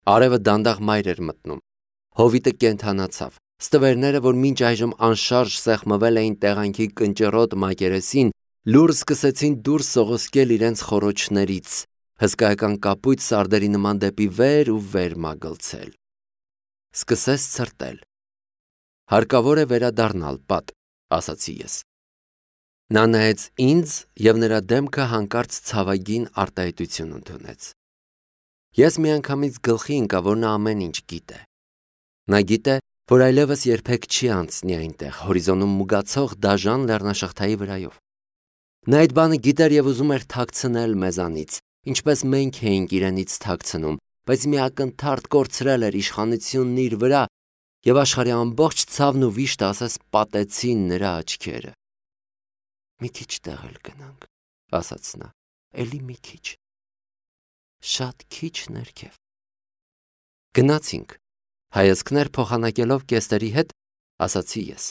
Արևը դանդաղ մայր էր մտնում։ Հովիտը կենդանացավ։ Ստվերները, որ մինչ այժմ անշարժ սեղմվել էին տեղանքի կնճռոտ մակերեսին, լուռ սկսեցին դուրս սողոսկել իրենց խոռոչներից, հսկայական կապույտ սարդերի նման դեպի վեր ու վեր մագլցել։ Սկսեց ցրտել։ Հարկավոր է վերադառնալ, Պատ, ասացի ես։ Նա նայեց ինձ և նրա դեմքը հանկարծ ցավագին արտահայտություն ընդունեց։ Ես միանգամից գլխի ընկա, որ նա ամեն ինչ գիտե։ Նա գիտե, որ այլևս երբեք չի անցնի այնտեղ, հորիզոնում մուգացող դաժան լեռնաշղթայի վրայով։ Նա այդ բանը գիտեր և ուզում էր թաքցնել մեզանից, ինչպես մենք էինք իրենից թաքցնում, բայց մի ակնթարթ կորցրել էր իշխանությունն իր վրա, և աշխարհի ամբողջ ցավն ու վիշտը ասես պատեցին նրա աչքերը։ Մի քիչ տեղ էլ գնանք, ասաց նա, էլի մի քիչ։ Շատ քիչ ներքև։ Գնացինք, հայացքներ փոխանակելով կեստերի հետ, ասացի ես։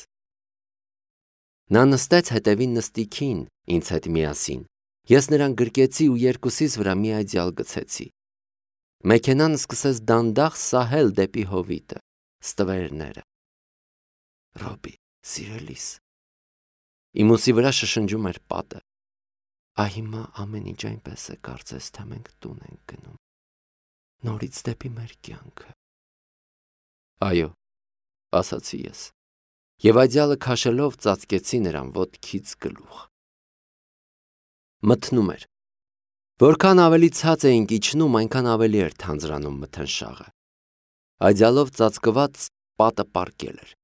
Նա նստեց հետևի նստիքին ինձ հետ միասին, ես նրան գրկեցի ու երկուսիս վրա մի այծյալ գցեցի։ Մեքենան սկսեց դանդաղ սահել դեպի հովիտը, ստվերները։ Ռոբի, սիրելիս։ Իմ ուսի վրա շշնջում էր պատը։ Հիմա ամեն ինչ այնպես է, կարծես թե մենք տուն ենք գնում, նորից դեպի մեր կյանքը։ Այո, ասացի ես, և այծյալը քաշելով ծածկեցի նրան ոտքից գլուխ։ Մթնում էր։ Որքան ավելի ցած էինք իջնում, այնքան ավելի էր թանձրանում մթնշաղը։ Այծյալով ծածկված պատը պառկել էր։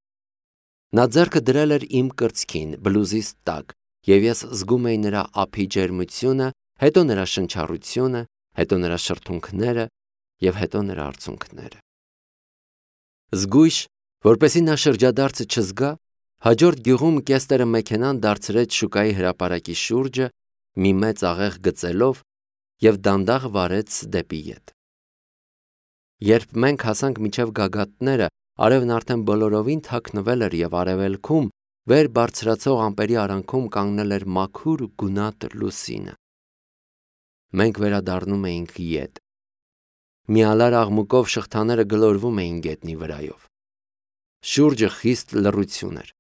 Նա ձեռքը դրել էր իմ կրծքին, բլուզիս տակ, և ես զգում էի նրա ափի ջերմությունը, հետո նրա շնչառությունը, հետո նրա շրթունքները և հետո նրա արցունքները։ Զգույշ, որպեսզի նա շրջադարձը չզգա, հաջորդ գյուղում կեստերը մեքենան դարձրեց շուկայի հրապարակի շուրջը, մի մեծ աղեղ գծելով և դանդաղ վարեց դեպի ետ։ Երբ մենք հասանք մինչև գագաթները, արևն արդեն բոլորովին թաքնվել էր և արևելքում, վեր բարձրացող ամպերի արանքում կանգնել էր մաքուր ու գունատ լուսինը։ Մենք վերադառնում էինք ետ։ Մի ալար աղմուկով շղթաները գլորվում էին գետնի վրայով։ Շուրջը խիստ լռություն էր։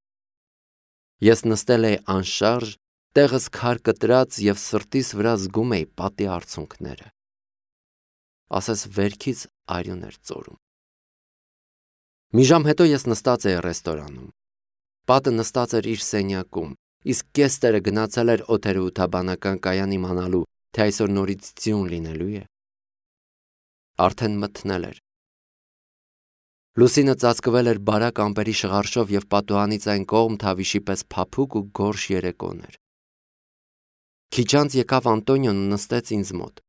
Ես նստել էի անշարժ, տեղս քար կտրած և սրտիս վրա զգում էի պատի արցունքները։ Ասես վերքից արյուն էր ծորում։ Մի ժամ հետո ես նստած էի ռեստորանում։ Պատը նստած էր իր սենյակում, իսկ կեստերը գնացել էր օդերեութաբանական կայան իմանալու, թե այսօր նորից ձյուն լինելու է։ Արդեն մթնել էր։ Լուսինը ծածկվել էր բարակ ամպերի շղարշով և պատուհանից այն կողմ թավիշի պես փափուկ ու գորշ երեկոն էր։ Քիչ անց եկավ Անտոնիոն ու նստեց ինձ մոտ։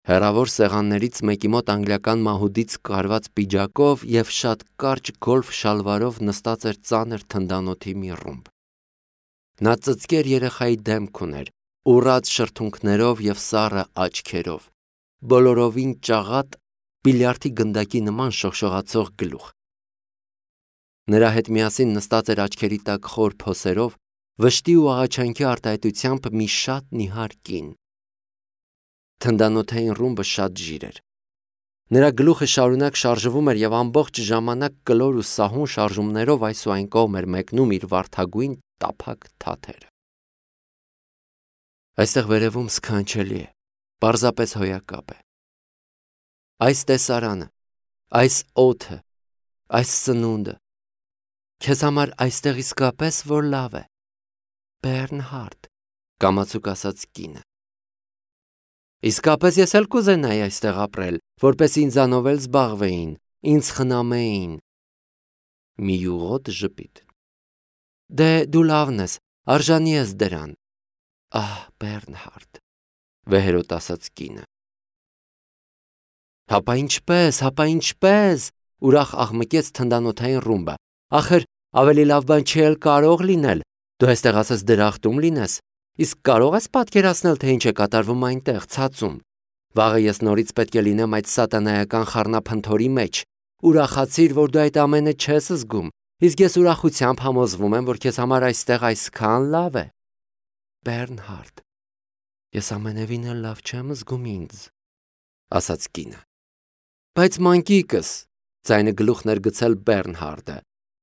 Հեռավոր սեղաններից մեկի մոտ անգլիական մահուդից կարված պիջակով և շատ կարճ գոլֆ շալվարով նստած էր ծանր թնդանոթի մի ռումբ։ Նա ծծկեր երեխայի դեմք ուներ, ուռած շրթունքներով և սառը աչքերով, բոլորովին ճաղատ, բիլիարդի գնդակի նման շողշողացող գլուխ։ Նրա հետ միասին նստած էր աչքերի տակ խոր փոսերով, վշտի ու աղաչանքի արտահայտությամբ մի շատ նիհար կին։ Թնդանոթային ռումբը շատ ժիր էր։ Նրա գլուխը շարունակ շարժվում էր և ամբողջ ժամանակ կլոր ու սահուն շարժումներով այս ու այն կողմ էր մեկնում իր վարդագույն տափակ թաթերը։ Այստեղ վերևում սքանչելի է, պարզապես հոյակապ է։ Այս տեսարանը, այս օդը, այս սնունդը, քեզ համար այստեղ իսկապես որ լավ է, Բեռնհարդ, կամացուկ ասաց կինը։ Իսկապես ես էլ կուզենայի այստեղ ապրել, որպես ինձանով էլ զբաղվեին, ինձ խնամեին։ Մի յուղոտ ժպիտ։ Դե դու լավն ես, արժանի ես դրան։ Ահ, Բեռնհարդ, վեհերոտ ասաց կինը։ Հապա ինչպես, ուրախ աղմկեց թնդանոթային ռումբը։ Ախր ավելի լավ բան չի էլ կարող լինել, դու այստեղ ասես դրախտում լինես, իսկ կարող ես պատկերացնել, թե ինչ է կատարվում այնտեղ, ցածում։ Վաղը ես նորից պետք է լինեմ այդ սատանայական խառնափնթորի մեջ։ Ուրախացիր, որ դու այդ ամենը չես զգում, իսկ ես ուրախությամբ համոզվում եմ, որ քեզ համար այստեղ այսքան լավ է։ Բեռնհարդ, ես ամենևին էլ լավ չեմ զգում ինձ, ասաց կինը։ Բայց մանկիկս, ձայնը գլուխն էր գցել Բեռնհարդը,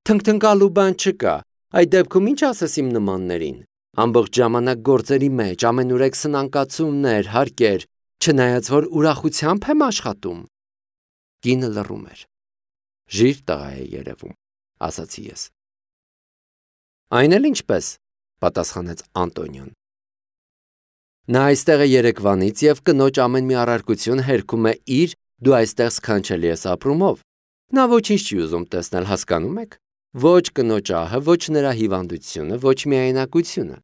թնգթնկալու բան չկա, այդ դեպքում ինչ ասես իմ նմաններին, ամբողջ ժամանակ գործերի մեջ, ամենուրեք սնանկացումներ, հարկեր, չնայած որ ուրախությամբ եմ աշխատում։ Կինը լռում էր։ Ժիր տղա է երևում, ասացի ես։ Այն էլ ինչպես, պատասխանեց Անտոնիոն։ Նա այստեղ է երեկվանից և կնոջ ամեն մի առարկություն հերքում է իր դու այստեղ սքանչելի ես ապրումով։ Նա ոչինչ չի ուզում տեսնել, հասկանում եք։ Ոչ կնոջ ահը, ոչ նրա հիվանդությունը, ոչ միայնակությունը։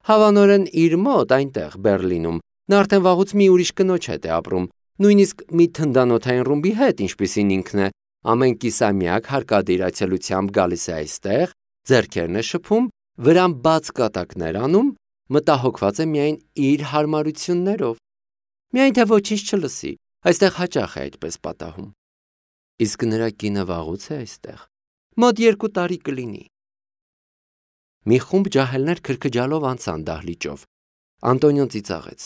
Հավանորեն իր մոտ այնտեղ Բերլինում նա արդեն վաղուց մի ուրիշ կնոջ հետ է ապրում, նույնիսկ մի թնդանոթային ռումբի հետ, ինչպիսին ինքն է, ամեն կիսամյակ հարկադիր այցելությամբ գալիս է այստեղ, ձեռքերն է շփում, վրան բաց կատակներ անում, մտահոգված է միայն իր հարմարություններով։ Միայն թե ոչինչ չլսի, այստեղ հաճախ է այդպես պատահում։ Իսկ նրա կինը վաղուց է այստեղ, մոտ 2 տարի կլինի։ Մի խումբ ջահելներ քրքջալով անցան դահլիճով։ Անտոնիոն ծիծաղեց։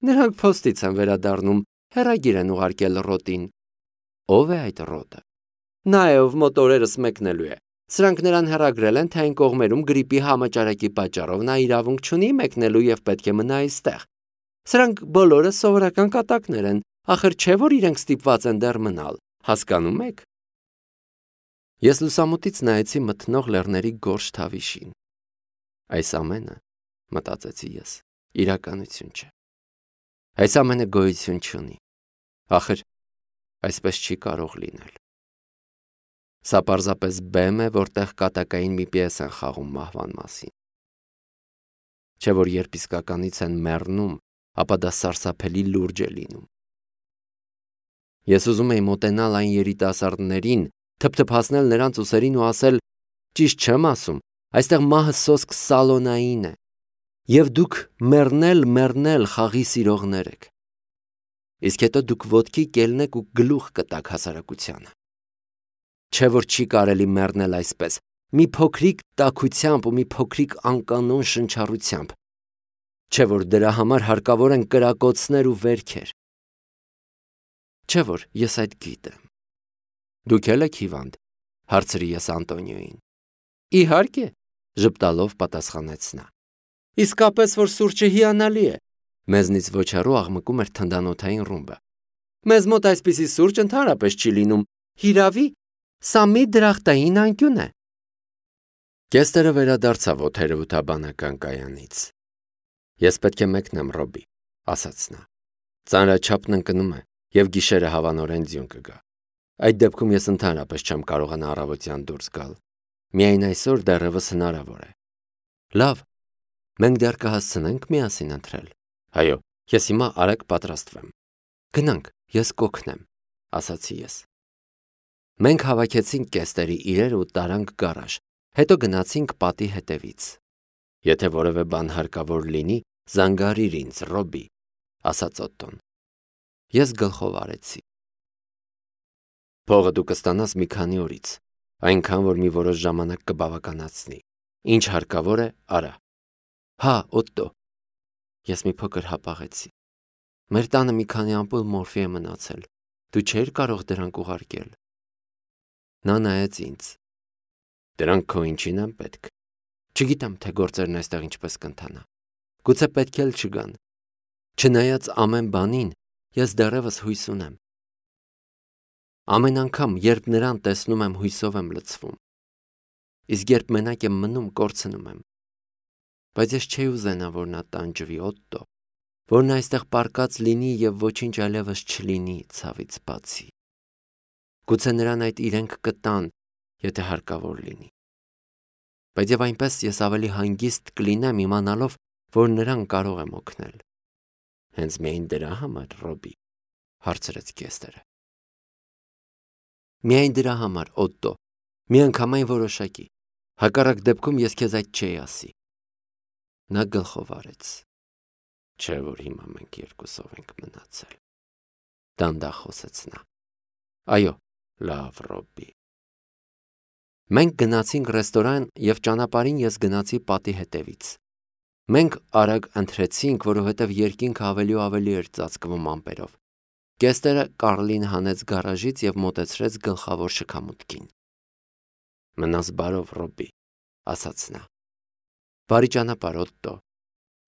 Նրանք փոստից են վերադառնում, հեռագիր են ուղարկել Ռոտին։ Ո՞վ է այդ Ռոտը։ Նա է, ով մոտ օրերս մեկնելու է։ Սրանք նրան հեռագրել են, թե այն կողմերում գրիպի համաճարակի պատճառով նա իրավունք չունի մեկնելու և պետք է մնա այստեղ։ Սրանք բոլորը սովորական կատակներ են, ախր չէ որ իրենք ստիպված են դեռ մնալ, հասկանում եք։ Ես լուսամուտից նայեցի մթնող լեռների գորշ թավիշին։ Այս ամենը, մտածեցի ես, իրականություն չէ։ Այս ամենը գոյություն չունի։ Ախր այսպես չի կարող լինել։ Սա պարզապես բեմ է, որտեղ կատակային մի պիես են խաղում մահվան մասին։ Չէ որ երբ իսկականից են մեռնում, ապա դա սարսափելի լուրջ է լինում։ Ես ուզում էի մոտենալ այն երիտասարդներին, թփթփացնել նրանց ուսերին ու ասել. ճիշտ չեմ ասում, այստեղ մահը սոսկ սալոնային է, և դուք մեռնել խաղի սիրողներ եք։ Իսկ հետո դուք ոտքի կելնեք ու գլուխ կտաք հասարակությանը։ Չէ որ չի կարելի մեռնել այսպես, մի փոքրիկ տաքությամբ ու մի փոքրիկ անկանոն շնչառությամբ։ Չէ որ դրա համար հարկավոր են կրակոցներ ու վերքեր։ Չէ որ ես այդ գիտեմ։ Դուք էլ եք հիվանդ, հարցրի ես Անտոնիոյին։ Իհարկե, ժպտալով պատասխանեց նա։ Իսկապես որ սուրճը հիանալի է։ Մեզնից ոչ հեռու աղմկում էր թնդանոթային ռումբը։ Մեզ մոտ այսպիսի սուրճ ընդհանրապես չի լինում։ Հիրավի, սա մի դրախտային անկյուն է։ Կեստերը վերադարձավ օթերևութաբանական կայանից։ Ես պետք է մեկնեմ, Ռոբի, ասաց նա։ Ծանրաչափն ընկնում է և գիշերը հավանորեն ձյուն կգա։ Այդ դեպքում ես ընդհանրապես չեմ կարողանա առավոտյան դուրս գալ։ Միայն այսօր դեռևս հնարավոր է։ Լավ, մենք դեռ կհասցնենք միասին ընթրել։ Այո, ես հիմա արագ պատրաստվեմ։ Գնանք, ես կօգնեմ, ասացի ես։ Մենք հավաքեցինք կեստերի իրեր ու տարանք գարաժ, հետո գնացինք պատի հետևից։ Եթե որևէ բան հարկավոր լինի, զանգարիր ինձ, Ռոբի, ասաց Օտտոն։ Ես գլխով արեցի։ Փողը դու կստանաս մի քանի օրից, այնքան որ մի որոշ ժամանակ կբավականացնի։ Ինչ հարկավոր է, արա։ Հա, Օտտո։ Ես մի փոքր հապաղեցի։ Մեր տանը մի քանի ամպուլ մորֆի է մնացել։ Դու չէիր կարող դրանք ուղարկել։ Նա նայեց ինձ։ Դրանք քո ինչին են պետք։ Չգիտեմ, թե գործերն այստեղ ինչպես կընթանա։ Գուցե պետք էլ չգան։ Չնայած ամեն բանին, ես դեռևս հույս ունեմ։ Ամեն անգամ, երբ նրան տեսնում եմ, հույսով եմ լցվում։ Իսկ երբ մենակ եմ մնում, կորցնում եմ։ Բայց ես չէի ուզենա, որ նա տանջվի, Օտտո, որ նա այստեղ պառկած լինի և ոչինչ այլևս չլինի ցավից բացի։ Գուցե նրան այդ իրենք կտան, եթե հարկավոր լինի։ Բայց և այնպես ես ավելի հանգիստ կլինեմ իմանալով, որ նրան կարող եմ օգնել։ Հենց միայն դրա համար, Ռոբի, հարցրեց Կեստերը։ Միայն դրա համար, Օտտո, միանգամայն որոշակի։ Հակառակ դեպքում ես քեզ այդ չէի ասի։ Նա գլխով արեց։ Չէ որ հիմա մենք երկուսով ենք մնացել։ Դանդաղ խոսեց նա։ Այո, լավ, Ռոբի։ Մենք գնացինք ռեստորան և ճանապարհին ես գնացի պատի հետևից։ Մենք արագ ընթրեցինք, որովհետև երկինքը ավելի ու ավելի էր ծածկվում ամպերով։ Կեստերը Կարլին հանեց գարաժից և մոտեցրեց գլխավոր շքամուտքին։ Մնաս բարով, Ռոբի, ասաց նա։ Բարի ճանապարհ, Օտտո։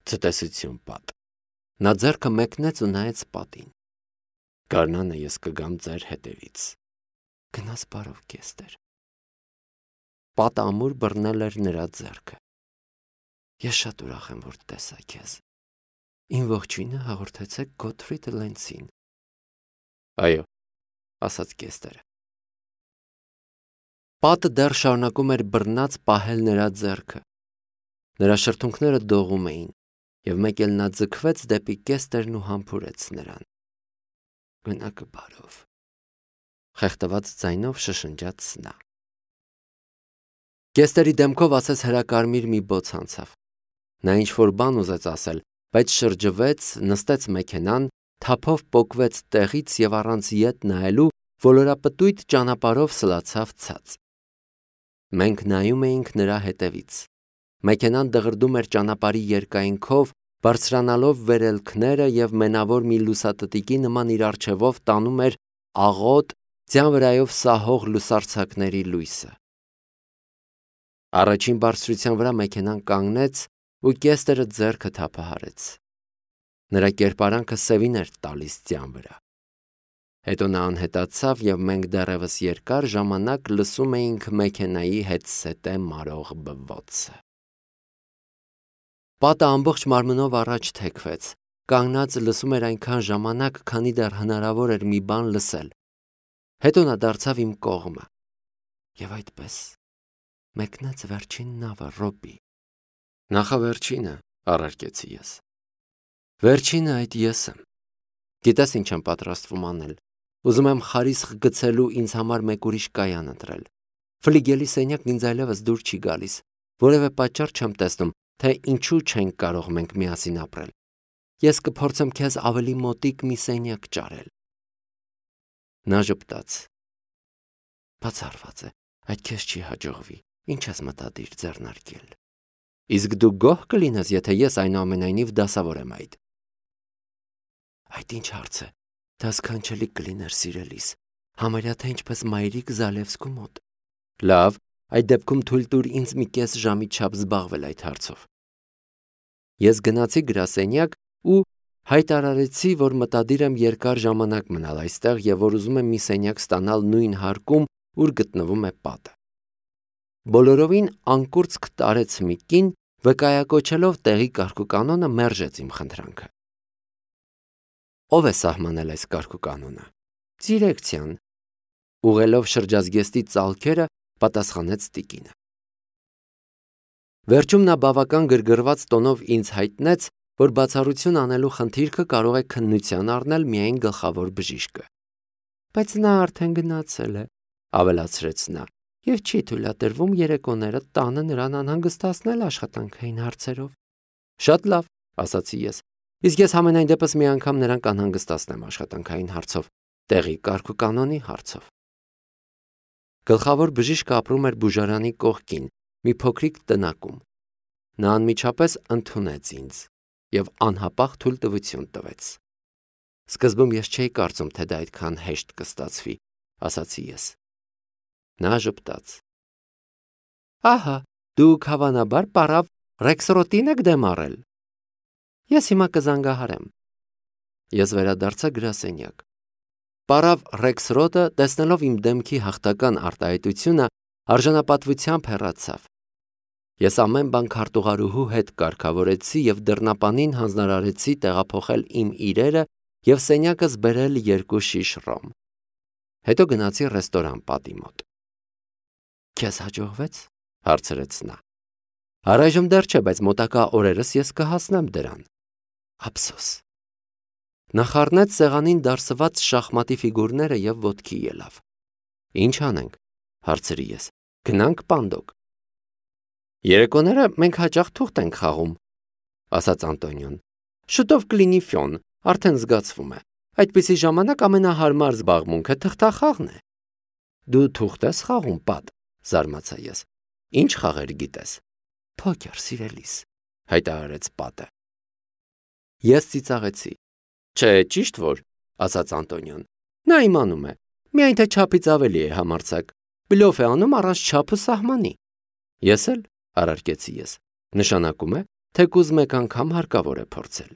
Ցտեսություն, Պատ։ Նա ձեռքը մեկնեց ու նայեց Պատին։ Գարնանը ես կգամ ձեր հետևից։ Գնաս բարով, Կեստեր։ Պատը ամուր բռնել էր նրա ձեռքը։ Ես շատ ուրախ եմ, որ տեսա քեզ։ Իմ ողջույնը հաղորդեցեք Գոթֆրիդ Լենցին։ Այո, ասաց Կեստերը։ Պատը դեռ շարունակում էր բռնած պահել նրա ձեռքը։ Նրա շրթունքները դողում էին, և մեկ էլ նա ձգվեց դեպի Կեստերն ու համբուրեց նրան։ Գնակը բարով, խեղդված ձայնով շշնջաց նա։ Կեստերի դեմքով ասես հրակարմիր մի բոց անցավ։ Նա ինչ-որ բան ուզեց ասել, բայց շրջվեց, նստեց մեքենան, թափով պոկվեց տեղից և առանց ետ նայելու ոլորապտույտ ճանապարհով սլացավ ցած։ Մենք նայում էինք նրա հետևից։ Մեքենան դղրդում էր ճանապարհի երկայնքով, բարձրանալով վերելքները և մենավոր մի լուսատտիկի նման իր առջևով տանում էր աղոտ, ձյան վրայով սահող լուսարձակների լույսը։ Առաջին բարձրության վրա մեքենան կանգնեց ու Կեստերը ձեռքը թափահարեց։ Նրա կերպարանքը սևին էր տալիս ձյան վրա։ Հետո նա անհետացավ և մենք դեռևս երկար ժամանակ լսում էինք մեքենայի հետսետե մարող բվոցը։ Պատը ամբողջ մարմնով առաջ թեքվեց, կանգնած լսում էր այնքան ժամանակ, քանի դեռ հնարավոր էր մի բան լսել։ Հետո նա դարձավ իմ կողմը։ Եվ այդպես մեկնեց վերջին նավը, Ռոբի։ Նախավերջինը, առարկեցի ես։ Վերջինը այդ ես եմ։ Գիտես ինչ եմ պատրաստվում անել։ Ուզում եմ խարիսխ գցելու ինձ համար մեկ ուրիշ կայան ընտրել։ Ֆլիգելի սենյակն ինձ այլևս դուր չի գալիս։ Որևէ պատճառ չեմ տեսնում, թե ինչու չենք կարող մենք միասին ապրել։ Ես կփորձեմ քեզ ավելի մոտիկ մի սենյակ ճարել։ Նա ժպտաց։ Բացառված է, այդ քեզ չի հաջողվի։ Ինչ ես մտադիր ձեռնարկել։ Իսկ դու գոհ կլինես, եթե ես այնուամենայնիվ դասավոր եմ այդ։ Այդ ինչ հարց է, դա սքանչելի կլիներ սիրելիս, համարյա թե ինչպես մայրիկ Զալևսկու մոտ։ Լավ, այդ դեպքում թույլ տուր ինձ մի կես ժամի չափ զբաղվել այդ հարցով։ Ես գնացի գրասենյակ ու հայտարարեցի, որ մտադիր եմ երկար ժամանակ մնալ այստեղ և որ ուզում եմ մի սենյակ ստանալ նույն հարկում, ուր գտնվում է Պատը։ Բոլորովին անկուրծք տարեց մի կին, վկայակոչելով տեղի կարգուկանոնը, մերժեց իմ խնդրանքը։ Ո՞վ է սահմանել այս կարգուկանոնը։ Դիրեկցիան։ Ուղղելով շրջազգեստի ծալքերը, պատասխանեց տիկինը։ Վերջում նա բավական գրգռված տոնով ինձ հայտնեց, որ բացառություն անելու խնդիրքը կարող է քննության առնել միայն գլխավոր բժիշկը։ Բայց նա արդեն գնացել է, ավելացրեց նա, և չի թույլատրվում երեկոները տանը նրան անհանգստացնել աշխատանքային հարցերով։ Շատ լավ, ասացի ես, իսկ ես համենայն դեպս մի անգամ նրան կանհանգստացնեմ աշխատանքային հարցով, տեղի կարգուկանոնի հարցով։ Գլխավոր բժիշկը ապրում էր բուժարանի կողքին, մի փոքրիկ տնակում։ Նա անմիջապես ընդունեց ինձ և անհապաղ թույլտվություն տվեց։ Սկզբում ես չէի կարծում, թե դա այդքան հեշտ կստացվի, ասացի ես։ Նա ժպտաց։ Ահա, դուք հավանաբար պարավ Ռեքսրոտին եք դեմ առել։ Ես հիմա կզանգահարեմ։ Ես վերադարձա գրասենյակ։ Պարավ Ռեքսրոտը, տեսնելով իմ դեմքի հաղթական արտահայտությունը, արժանապատվությամբ հեռացավ։ Ես ամեն բան քարտուղարուհու հետ կարգավորեցի և դռնապանին հանձնարարեցի տեղափոխել իմ իրերը և սենյակս բերել 2 շիշ ռոմ։ Հետո գնացի ռեստորան Պատի մոտ։ Քեզ հաջողվեց, հարցրեց նա։ Առայժմ դեռ չէ, բայց մոտակա օրերս ես կհասնեմ դրան։ Ափսոս։ Նա խառնեց սեղանին դարսված շախմատի ֆիգուրները և ոտքի ելավ։ Ինչ անենք, հարցրի ես։ Գնանք պանդոկ։ Երեկոները մենք հաճախ թուղթ ենք խաղում, ասաց Անտոնիոն։ Շուտով կլինի ֆյոն, արդեն զգացվում է։ Այդպիսի ժամանակ ամենահարմար զբաղմունքը թղթախաղն է։ Դու թուղթ ես խաղում, Պատ, զարմացա ես։ Ինչ խաղեր գիտես։ Փոքեր, սիրելիս, հայտարարեց Պատը։ Ես ծիծաղեցի։ Չէ, ճիշտ որ, ասաց Անտոնիոն։ Նա իմանում է, միայն թե չափից ավելի է համարձակ, բլոֆ է անում առանց չափը սահմանի։ Ես էլ, առարկեցի ես, նշանակում է, թեկուզ մեկ անգամ հարկավոր է փորձել։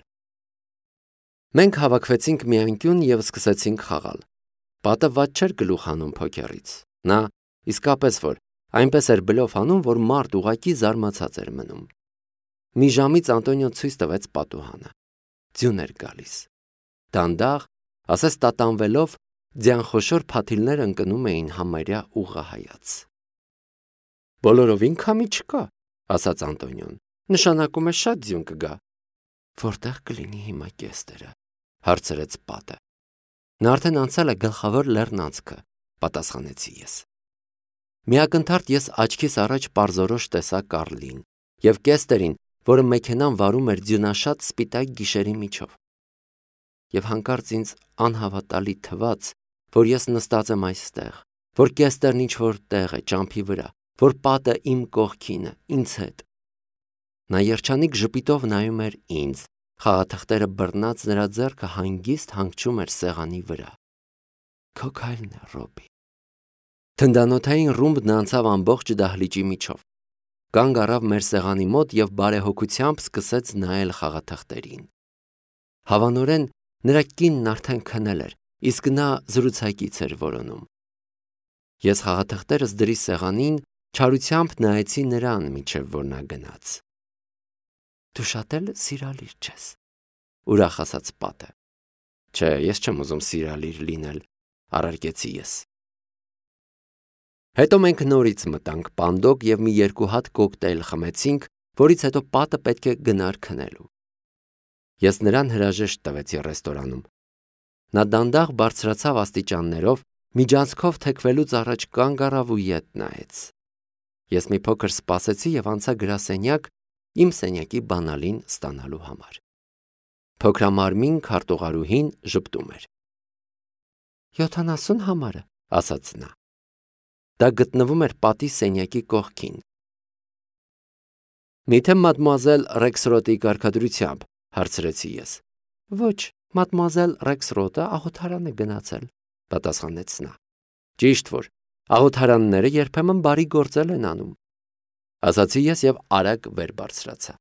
Մենք հավաքվեցինք մի անկյուն և սկսեցինք խաղալ։ Պատը ված չէր գլուխ հանում փոքերից։ Նա իսկապես որ այնպես էր բլոֆ անում, որ մարդ ուղղակի զարմացած էր մնում։ Մի ժամից Անտոնիոն ցույց տվեց պատուհանը։ Ձյուն էր գալիս։ Դանդաղ, ասես տատանվելով, ձյանխոշոր փաթիլներ ընկնում էին համարյա ուղղահայաց։ Բոլորովին քամի չկա, ասաց Անտոնիոն։ Նշանակում է շատ ձյուն կգա։ Որտեղ կլինի հիմա կեստերը, հարցրեց պատը։ Նա արդեն անցել է գլխավոր լեռնանցքը, պատասխանեցի ես։ Միակնթարթ ես աչքիս առաջ պարզորոշ տեսա Կարլին և կեստերին, որը մեքենան վարում էր ձյունաշատ սպիտակ գիշերի միջով։ Եվ հանկարծ ինձ անհավատալի թվաց, որ ես նստած եմ այստեղ, որ կեստերն ինչ-որ տեղ է ճամփի վրա, որ պատը իմ կողքին է, ինձ հետ։ Նա երջանիկ ժպիտով նայում էր ինձ, խաղաթղթերը բռնած նրա ձեռքը հանգիստ հանգչում էր սեղանի վրա։ Քո քայլն է, Ռոբի։ Թնդանոթային ռումբն անցավ ամբողջ դահլիճի միջով։ Կանգ առավ մեր սեղանի մոտ և բարեհոգությամբ սկսեց նայել խաղաթղթերին։ Հավանորեն նրա կինն արդեն քնել էր, իսկ նա զրուցակից էր որոնում։ Ես խաղաթղթերս դրի սեղանին, չարությամբ նայեցի նրան, մինչև որ նա գնաց։ Դու շատ էլ սիրալիր չես, ուրախ ասաց պատը։ Չէ, ես չեմ ուզում սիրալիր լինել, առարկեցի ես։ Հետո մենք նորից մտանք պանդոկ և մի երկու հատ կոկտեյլ խմեցինք, որից հետո պատը պետք է գնար քնելու։ Ես նրան հրաժեշտ տվեցի ռեստորանում։ Նա դանդաղ բարձրացավ աստիճաններով, միջանցքով թեքվելուց առաջ կանգ առավ ու ետ նայեց։ Ես մի փոքր սպասեցի և անցա գրասենյակ իմ սենյակի բանալին ստանալու համար։ Փոքրամարմին քարտուղարուհին ժպտում էր։ 70 համարը, ասաց նա։ Դա գտնվում էր պատի սենյակի կողքին։ Միթե մադմուազել Ռեքսրոտի կարգադրությամբ, հարցրեցի ես։ Ոչ, մադմուազել Ռեքսրոտը աղոթարան է գնացել, պատասխանեց նա։ Ճիշտ որ, աղոթարանները երբեմն բարի գործել են անում, ասացի ես և արագ վեր բարձրացա։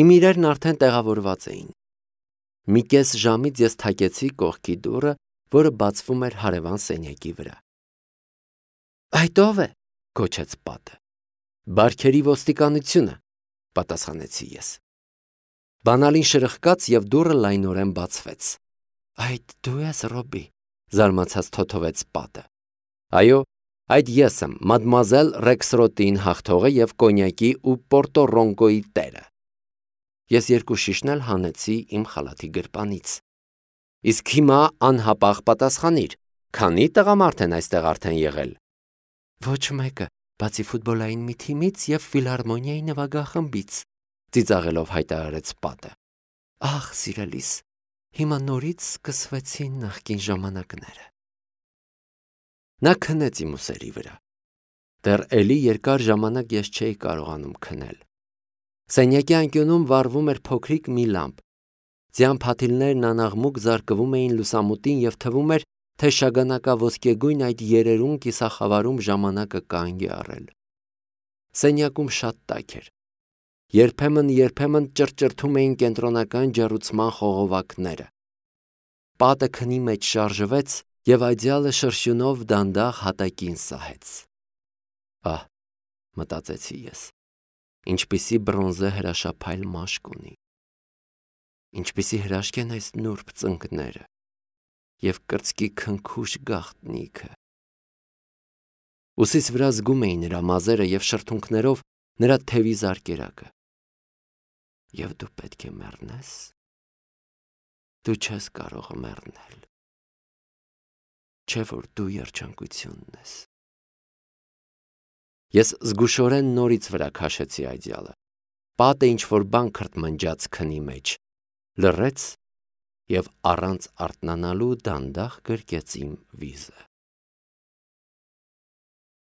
Իմ իրերն արդեն տեղավորված էին։ Մի կես ժամից ես թակեցի կողքի դուռը, որը բացվում էր հարևան սենյակի վրա։ Այդ ո՞վ է, գոչեց պատը։ Բարքերի ոստիկանությունը, պատասխանեցի ես։ Բանալին շրխկաց և դուռը լայնորեն բացվեց։ Այդ դու ես, Ռոբի, զարմացած թոթովեց պատը։ Այո, այդ ես եմ, մադմուազել Ռեքսրոտին հաղթողը և կոնյակի ու Պորտորոնկոյի տերը։ Ես երկու շիշն էլ հանեցի իմ խալաթի գրպանից։ Իսկ հիմա անհապաղ պատասխանիր, քանի տղամարդ են այստեղ արդեն եղել։ Ոչ մեկը, բացի ֆուտբոլային մի թիմից և ֆիլհարմոնիայի նվագախմբից, ծիծաղելով հայտարարեց պատը։ Ախ, սիրելիս, հիմա նորից սկսվեցին նախկին ժամանակները։ Նա քնեց իմ ուսերի վրա։ Դեռ էլի երկար ժամանակ ես չէի կարողանում քնել։ Սենյակի անկյունում վառվում էր փոքրիկ մի լամպ։ Ձյան փաթիլներն անաղմուկ զարկվում էին լուսամուտին և թվում էր, թե շագանակաոսկեգույն այդ երերուն կիսախավարում ժամանակը կանգ է առել։ Սենյակում շատ տաք էր։ Երբեմն ճռճռթում էին կենտրոնական ջեռուցման խողովակները։ Պատը քնի մեջ շարժվեց և այդյալը շրշյունով դանդաղ հատակին սահեց։ Ահ, մտածեցի ես, ինչպիսի բրոնզե հրաշափայլ մաշկ ունի։ Ինչպիսի հրաշք են այս նուրբ ծնկները և կրծքի քնքուշ գաղտնիքը։ Ուսիս վրա զգում էի նրա մազերը և շրթունքներով նրա թևի զարկերակը։ Եվ դու պետք է մեռնես։ Դու չես կարող մեռնել։ Չէ՞ որ դու երջանկությունն ես։ Ես զգուշորեն նորից վրա քաշեցի այդյալը։ Պատը ինչ-որ բան քրթմնջաց քնի մեջ, լռեց և առանց արթնանալու դանդաղ գրկեց իմ վիզը։